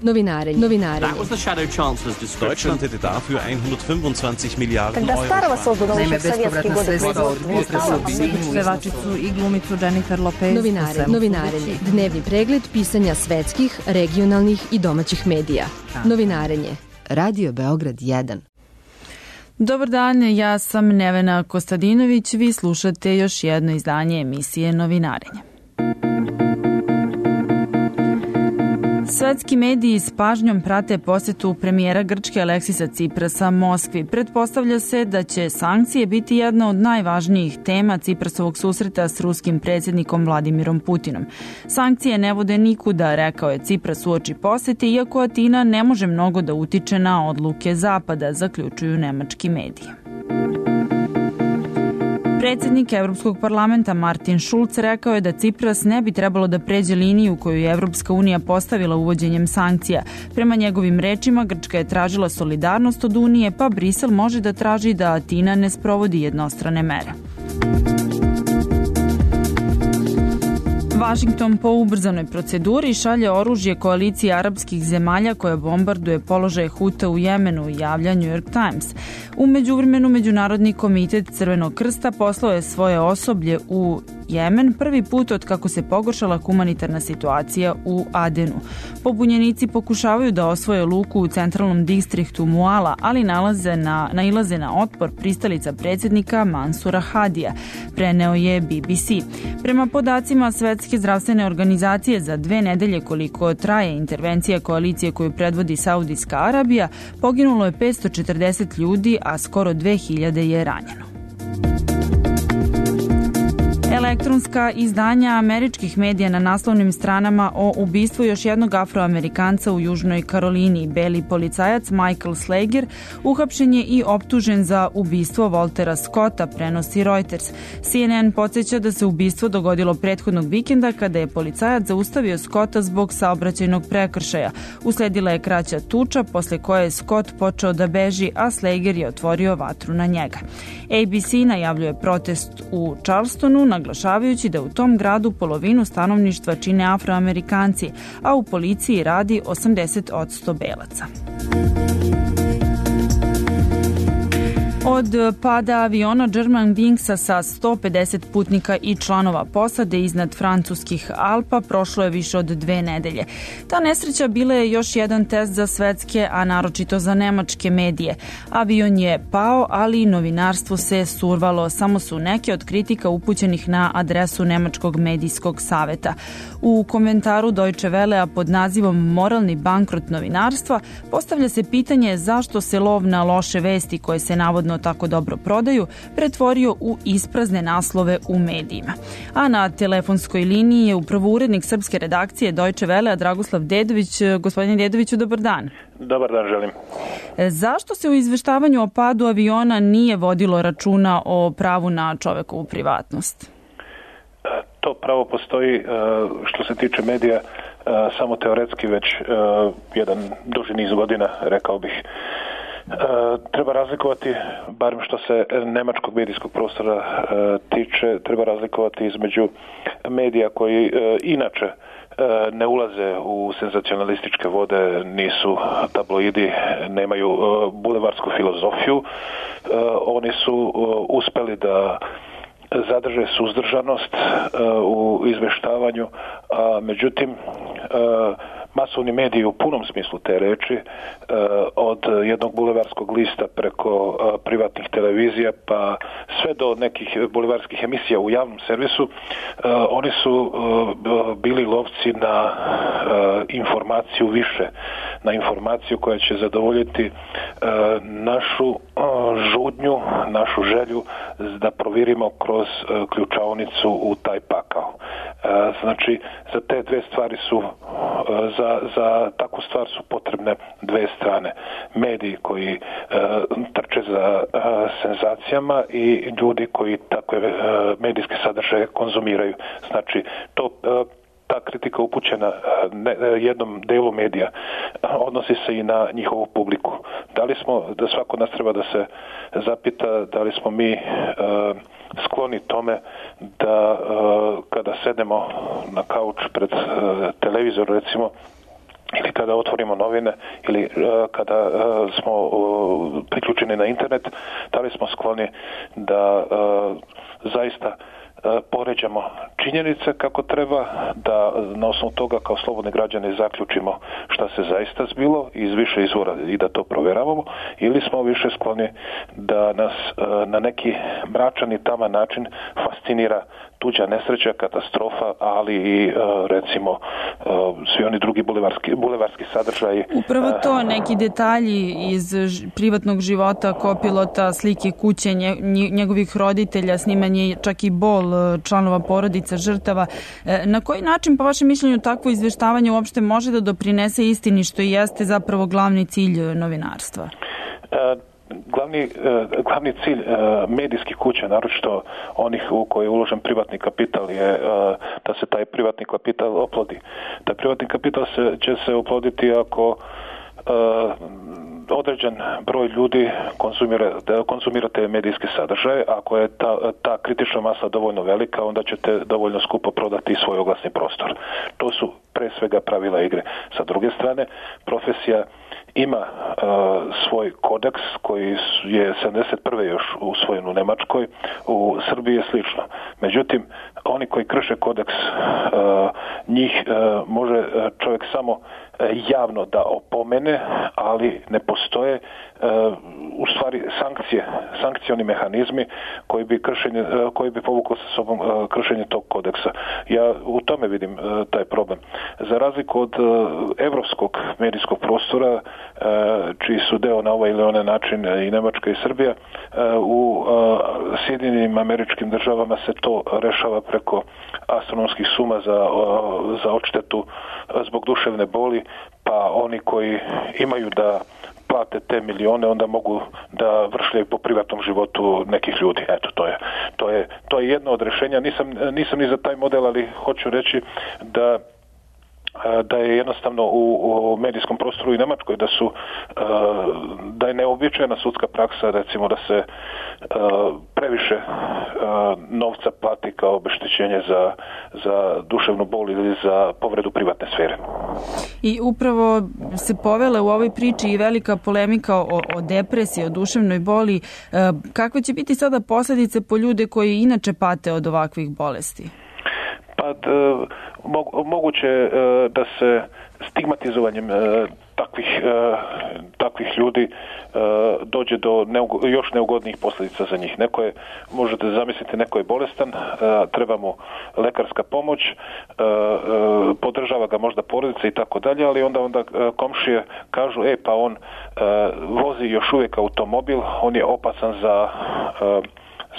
Novinarenje. That was the Shadow Chancellor's description. Deutschland hätte dafür 125 Milijarden Euro. Naime, bespovratna sredstva od Ciprasa objedinjuju pevačicu i glumicu Jennifer Lopez. Novinarenje. Dnevni pregled pisanja svetskih, regionalnih i domaćih medija. Novinarenje. Radio Beograd 1. Dobar dan, ja sam Nevena Kostadinović, vi slušate još jedno izdanje emisije Novinarenje. Svetski mediji s pažnjom prate posetu premijera Grčke Aleksisa Ciprasa Moskvi. Pretpostavlja se da će sankcije biti jedna od najvažnijih tema Ciprasovog susreta s ruskim predsjednikom Vladimirom Putinom. Sankcije ne vode nikuda, rekao je Cipras uoči posete, iako Atina ne može mnogo da utiče na odluke Zapada, zaključuju nemački mediji. Predsjednik Evropskog parlamenta Martin Schulz rekao je da Cipras ne bi trebalo da pređe liniju koju je Evropska unija postavila uvođenjem sankcija. Prema njegovim rečima, Grčka je tražila solidarnost od Unije, pa Brisel može da traži da Atina ne sprovodi jednostrane mere. Vašington po ubrzanoj proceduri šalje oružje koaliciji arapskih zemalja koja bombarduje položaje Huta u Jemenu, javlja New York Times. U međuvremenu Međunarodni komitet Crvenog krsta poslao je svoje osoblje u Jemen prvi put od kako se pogoršala humanitarna situacija u Adenu. Pobunjenici pokušavaju da osvoje luku u centralnom distriktu Muala, ali nailaze na otpor pristalica predsjednika Mansura Hadija, preneo je BBC. Prema podacima Svetske zdravstvene organizacije, za 2 nedelje koliko traje intervencija koalicije koju predvodi Saudijska Arabija, poginulo je 540 ljudi, a skoro 2000 je ranjeno. Elektronska izdanja američkih medija na naslovnim stranama o ubistvu još jednog Afroamerikanca u Južnoj Karolini. Beli policajac Michael Slager uhapšen je i optužen za ubistvo Waltera Scotta, prenosi Reuters. CNN podsjeća da se ubistvo dogodilo prethodnog vikenda kada je policajac zaustavio Scotta zbog saobraćajnog prekršaja. Usledila je kraća tuča, posle koje je Scott počeo da beži, a Slager je otvorio vatru na njega. ABC najavljuje protest u Charlestonu, naglašavajući da u tom gradu polovinu stanovništva čine Afroamerikanci, a u policiji radi 80% belaca. Od pada aviona Germanwingsa sa 150 putnika i članova posade iznad francuskih Alpa prošlo je više od 2 nedelje. Ta nesreća bila je još jedan test za svetske, a naročito za nemačke medije. Avion je pao, ali i novinarstvo se survalo. Samo su neke od kritika upućenih na adresu Nemačkog medijskog saveta. U komentaru Deutsche Wellea pod nazivom Moralni bankrot novinarstva postavlja se pitanje zašto se lov na loše vesti koje se navodno tako dobro prodaju pretvorio u isprazne naslove u medijima. A na telefonskoj liniji je upravo urednik srpske redakcije Deutsche Wellea Dragoslav Dedović. Gospodine Dedoviću, dobar dan. Dobar dan, želim. Zašto se u izveštavanju o padu aviona nije vodilo računa o pravu na čovekovu privatnost? To pravo postoji što se tiče medija samo teoretski već jedan duži niz godina, rekao bih. Treba razlikovati, barem što se nemačkog medijskog prostora tiče, treba razlikovati između medija koji inače ne ulaze u senzacionalističke vode, nisu tabloidi, nemaju bulevarsku filozofiju. Oni su uspeli da zadrže suzdržanost u izveštavanju, a međutim masovni mediji u punom smislu te reči, od jednog bulevarskog lista preko privatnih televizija pa sve do nekih bulevarskih emisija u javnom servisu, oni su bili lovci na informaciju više, na informaciju koja će zadovoljiti našu žudnju, našu želju da provirimo kroz ključaonicu u taj pakao. Znači, za te dve stvari su za takvu stvar su potrebne dve strane. Mediji koji trče za senzacijama i ljudi koji takve medijske sadržaje konzumiraju. Znači, ta kritika upućena jednom delu medija odnosi se i na njihovu publiku. Da svako od nas treba da se zapita da li smo mi skloni tome da kada sedemo na kauč pred televizor, recimo, ili kada otvorimo novine ili kada smo priključeni na internet, da li smo skloni da zaista poređamo činjenice kako treba, da na osnovu toga kao slobodni građani zaključimo šta se zaista zbilo iz više izvora i da to provjeravamo, ili smo više skloni da nas na neki mračan i taman način fascinira tuđa nesreća, katastrofa, ali i recimo svi oni drugi bulevarski sadržaji. Upravo to, neki detalji iz privatnog života kopilota, slike kuće, njegovih roditelja, snimanje čak i bol članova porodica, žrtava. Na koji način, po vašem mišljenju, takvo izveštavanje uopšte može da doprinese istini, što i jeste zapravo glavni cilj novinarstva? Glavni cilj medijskih kuća, naročito onih u koje je uložen privatni kapital, je da se taj privatni kapital oplodi. Taj privatni kapital će se oploditi ako određen broj ljudi konzumira te medijske sadržaje. Ako je ta kritična masa dovoljno velika, onda ćete dovoljno skupo prodati svoj oglasni prostor. To su pre svega pravila igre. Sa druge strane, profesija ima svoj kodeks koji je 71. još usvojen u Nemačkoj, u Srbiji je slično. Međutim, oni koji krše kodeks, njih može čovjek samo javno da opomene, ali ne postoje u stvari sankcioni mehanizmi koji bi povukao sa sobom kršenje tog kodeksa. Ja u tome vidim taj problem. Za razliku od evropskog medijskog prostora, čiji su deo na ovaj ili onaj način i Nemačka i Srbija, u Sjedinjenim Američkim Državama se to rešava preko astronomskih suma za odštetu zbog duševne boli, pa oni koji imaju da plate te milione, onda mogu da vršljaju po privatnom životu nekih ljudi. Eto, to je jedno od rješenja. Nisam ni za taj model, ali hoću reći da je jednostavno u medijskom prostoru i Nemačkoj da je neobičajna sudska praksa, recimo da se previše novca plati kao obeštećenje za duševnu bol ili za povredu privatne sfere. I upravo se povela u ovoj priči i velika polemika o depresiji, o duševnoj boli. Kakve će biti sada posljedice po ljude koji inače pate od ovakvih bolesti? Pa moguće da se stigmatizovanjem takvih ljudi dođe do još neugodnijih posljedica za njih. Možete zamisliti, neko je bolestan, treba mu lekarska pomoć, podržava ga možda porodica i tako dalje, ali onda komšije kažu, pa on vozi još uvijek automobil, on je opasan za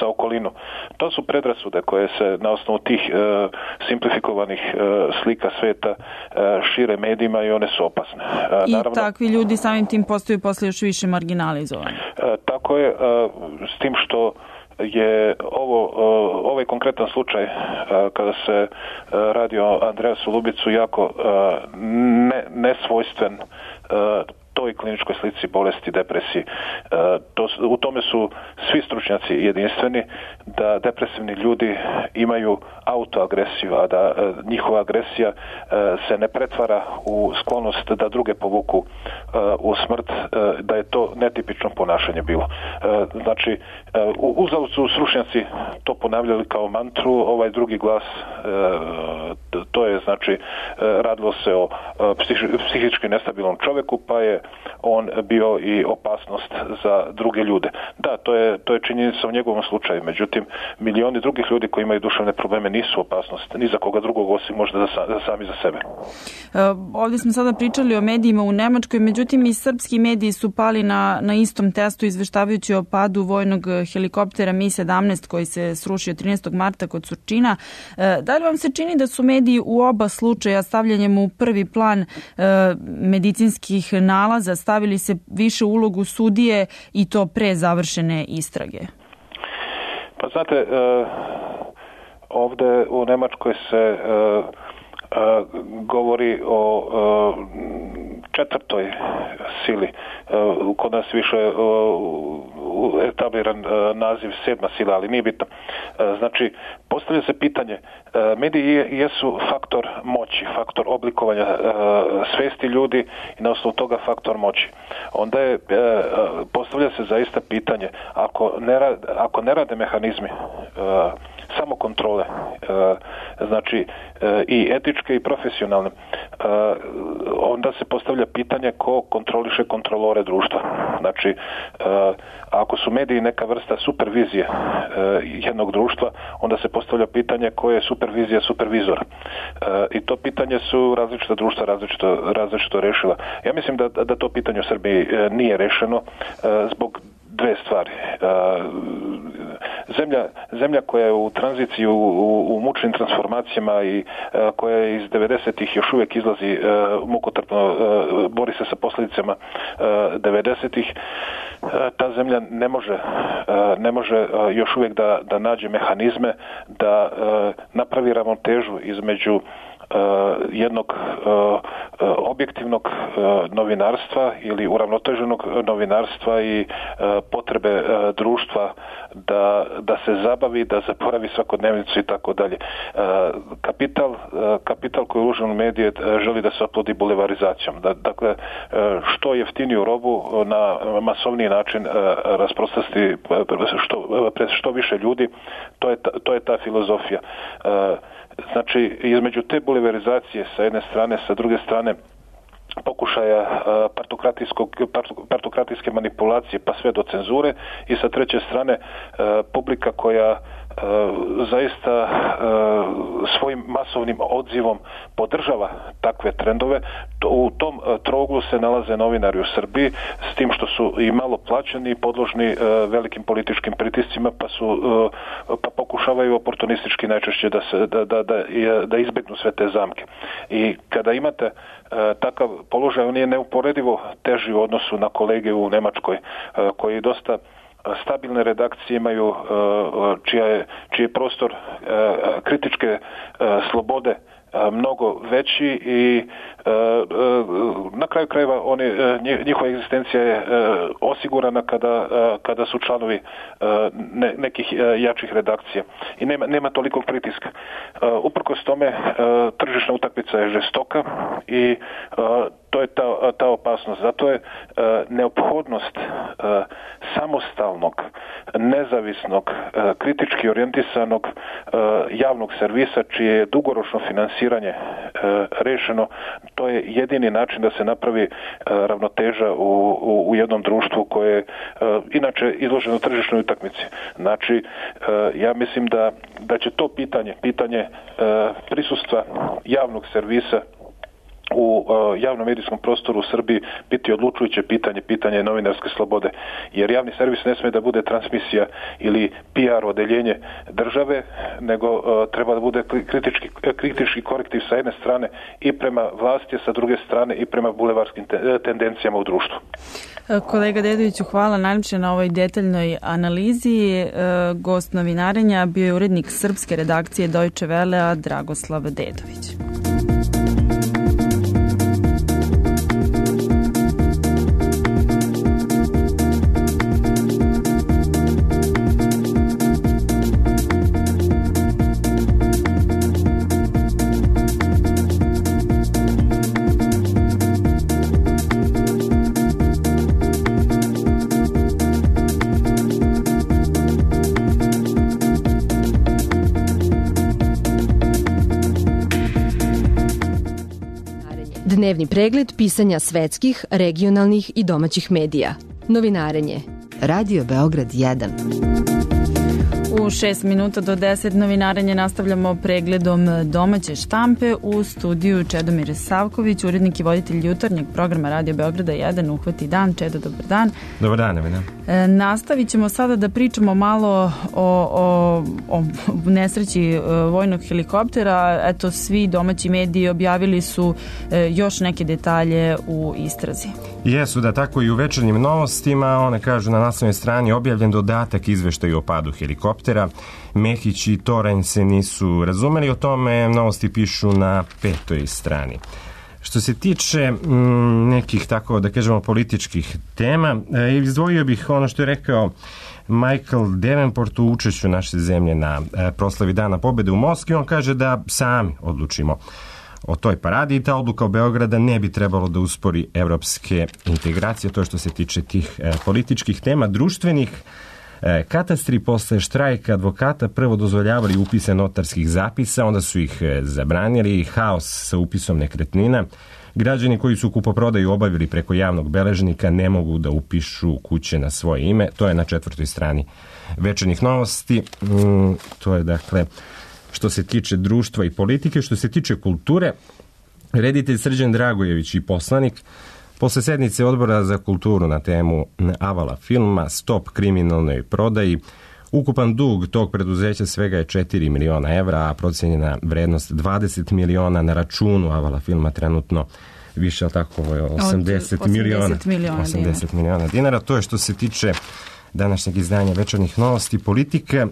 okolinu. To su predrasude koje se na osnovu tih simplifikovanih slika sveta šire medijima i one su opasne. I naravno, takvi ljudi samim tim postaju posle još više marginalizovani. Tako je, s tim što je ovaj konkretan slučaj kada se radi o Andreasu Lubicu jako nesvojstven toj kliničkoj slici bolesti, depresiji. U tome su svi stručnjaci jedinstveni, da depresivni ljudi imaju autoagresiju, a da njihova agresija se ne pretvara u sklonost da druge povuku u smrt, da je to netipično ponašanje bilo. Znači, uzalud su stručnjaci to ponavljali kao mantru, ovaj drugi glas, to je znači radilo se o psihički nestabilnom čovjeku, pa je on bio i opasnost za druge ljude. Da, to je činjenica u njegovom slučaju. Međutim, milioni drugih ljudi koji imaju duševne probleme nisu opasnost ni za koga drugog osim možda sami za sebe. Ovdje smo sada pričali o medijima u Nemačkoj, međutim i srpski mediji su pali na istom testu izveštavajući o padu vojnog helikoptera Mi-17 koji se srušio 13. marta kod Surčina. Da li vam se čini da su mediji u oba slučaja stavljanjem u prvi plan medicinskih nalaza stavili se više ulogu sudije i to pre završene istrage? Pa znate, ovdje u Nemačkoj se govori o četvrtoj sili. Kod nas više etabliran naziv 7. sila, ali nije bitno. Znači, postavlja se pitanje, mediji jesu faktor moći, faktor oblikovanja svesti ljudi i na osnovu toga faktor moći. Onda je, postavlja se zaista pitanje, ako ne rade mehanizmi samo kontrole, znači i etičke i profesionalne, onda se postavlja pitanje ko kontroliše kontrolore društva. Znači, ako su mediji neka vrsta supervizije jednog društva, onda se postavlja pitanje ko je supervizija supervizora. I to pitanje su različita društva različito rešila. Ja mislim da to pitanje u Srbiji nije rešeno zbog dve stvari. Zemlja koja je u tranziciji, u mučnim transformacijama i koja je iz 90-ih još uvijek izlazi mukotrpno, bori se sa posljedicama 90-ih, ta zemlja ne može još uvijek da nađe mehanizme da napravi ravnotežu između jednog objektivnog novinarstva ili uravnoteženog novinarstva i potrebe društva da se zabavi, da zaboravi svakodnevnicu i tako dalje. Kapital koji je uložen u medije želi da se oplodi bulevarizacijom. Dakle, što jeftiniju robu na masovniji način rasprostati pred što više ljudi, to je ta filozofija. Znači, između te bulevarizacije sa jedne strane, sa druge strane pokušaja partokratijske manipulacije pa sve do cenzure i sa treće strane publika koja zaista svojim masovnim odzivom podržava takve trendove. U tom trouglu se nalaze novinari u Srbiji, s tim što su i malo plaćeni i podložni velikim političkim pritiscima, pa pokušavaju oportunistički najčešće da izbjegnu sve te zamke. I kada imate takav položaj, on je neuporedivo teži u odnosu na kolege u Nemačkoj, koji dosta stabilne redakcije imaju, čiji je prostor kritičke slobode mnogo veći i na kraju krajeva njihova egzistencija je osigurana kada su članovi nekih jačih redakcija i nema toliko pritiska. Uprkos tome tržišna utakmica je žestoka i to je ta opasnost. Zato je neophodnost samostalnog, nezavisnog, kritički orijentisanog javnog servisa čije je dugoročno finansiranje rešeno. To je jedini način da se napravi ravnoteža u jednom društvu koje je inače izloženo tržišnoj utakmici. Znači, ja mislim da će to pitanje prisustva javnog servisa u javnom medijskom prostoru u Srbiji biti odlučujuće pitanje novinarske slobode. Jer javni servis ne smije da bude transmisija ili PR odeljenje države, nego treba da bude kritički korektiv sa jedne strane i prema vlasti, sa druge strane i prema bulevarskim tendencijama u društvu. Kolega Dedoviću, hvala najljepše na ovoj detaljnoj analizi. Gost novinarenja bio je urednik srpske redakcije Deutsche Wellea Dragoslav Dedović. Dnevni pregled pisanja svetskih, regionalnih i domaćih medija. Novinarenje. Radio Beograd 1. U 6 minuta do 10 novinarenje nastavljamo pregledom domaće štampe. U studiju Čedomir Savković, urednik i voditelj jutarnjeg programa Radio Beograda 1, Uhvati dan. Čedo, dobar dan. Dobar dan, Evina. Nastavit ćemo sada da pričamo malo o nesreći vojnog helikoptera. Eto, svi domaći mediji objavili su još neke detalje u istrazi. Jesu, da, tako i u večernjim novostima. One kažu na naslovnoj strani objavljen dodatak izveštaju o padu helikoptera. Mehić i Toranj se nisu razumeli o tome, novosti pišu na 5. strani. Što se tiče nekih, tako da kažemo, političkih tema, izdvojio bih ono što je rekao Michael Davenport u učešću naše zemlje na proslavi Dana pobjede u Moskvi. On kaže da sami odlučimo o toj paradi i ta odluka o Beograda ne bi trebalo da uspori evropske integracije. To je što se tiče tih političkih tema. Društvenih, katastri posle štrajka advokata prvo dozvoljavali upise notarskih zapisa, onda su ih zabranili, haos sa upisom nekretnina. Građani koji su kupoprodaju obavili preko javnog beležnika ne mogu da upišu kuće na svoje ime. To je na 4. strani Večernjih novosti. To je dakle što se tiče društva i politike. Što se tiče kulture, reditelj Srđan Dragojević i poslanik posle sednice Odbora za kulturu na temu Avala filma Stop kriminalnoj prodaji, ukupan dug tog preduzeća svega je 4 miliona evra, a procenjena vrednost 20 miliona, na računu Avala filma trenutno više, ali tako, 80 miliona dinara. To je što se tiče današnjeg izdanja Večernjih novosti. Politika.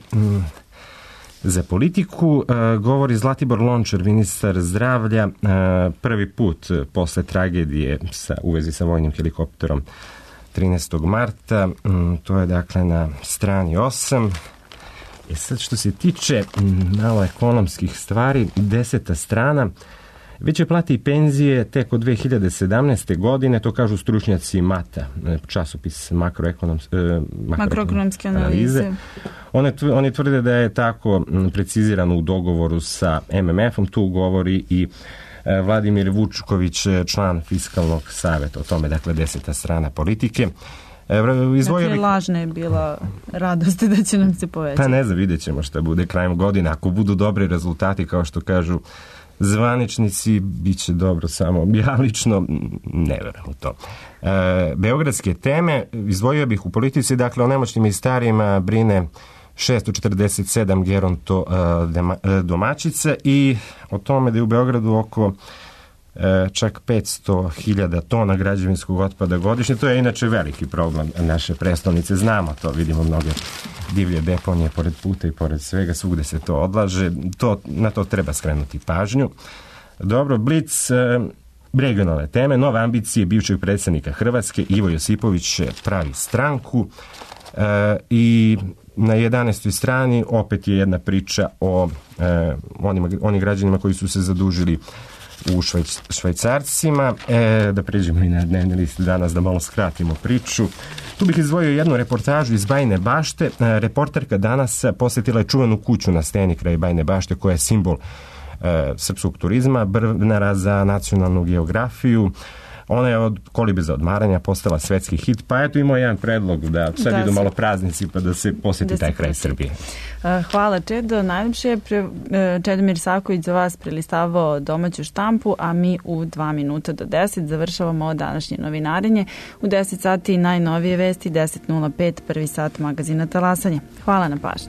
Za politiku govori Zlatibor Lončar, ministar zdravlja, prvi put posle tragedije u vezi sa vojnim helikopterom 13. marta. To je dakle na strani 8. Sad što se tiče malo ekonomskih stvari, 10. strana, veće plate i penzije tek od 2017. godine, to kažu stručnjaci MATA, časopis makroekonomske analize. Oni tvrde da je tako precizirano u dogovoru sa MMF-om, tu govori i Vladimir Vučković, član Fiskalnog saveta, o tome, dakle, 10. strana politike. Dakle, lažna je bila radost da će nam se povećati. Pa ne znam, vidjet ćemo šta bude krajem godine. Ako budu dobri rezultati, kao što kažu zvaničnici, bit će dobro, samo ja lično ne verujem u to. Beogradske teme izdvojio bih u politici, dakle, o nemoćnim i starijima brine 647 geronto domaćica i o tome da je u Beogradu oko čak 500.000 tona građevinskog otpada godišnje. To je inače veliki problem naše prestolnice. Znamo to, vidimo mnoge divlje deponije pored puta i pored svega, svugde se to odlaže. Na to treba skrenuti pažnju. Dobro, Blic, regionalne teme, nove ambicije bivšeg predsjednika Hrvatske, Ivo Josipović pravi stranku i na 11. strani opet je jedna priča o onim građanima koji su se zadužili u Švajcarcima. Da pređemo i na dnevni list danas, da malo skratimo priču. Tu bih izdvojio jednu reportažu iz Bajine Bašte. Reporterka danas posjetila je čuvenu kuću na steni kraj Bajine Bašte, koja je simbol srpskog turizma, Brvnara za nacionalnu geografiju. Ona je od kolibe za odmaranja postala svetski hit, pa eto imao jedan predlog da sad idu malo praznici pa da se posjeti taj kraj Srbije. Hvala, Čedo. Najljepše je Čedomir Saković za vas prelistavao domaću štampu, a mi u 2 minuta do 10 završavamo današnje novinarenje. U 10 sati najnovije vesti, 10.05, prvi sat magazina Talasanje. Hvala na pažnji.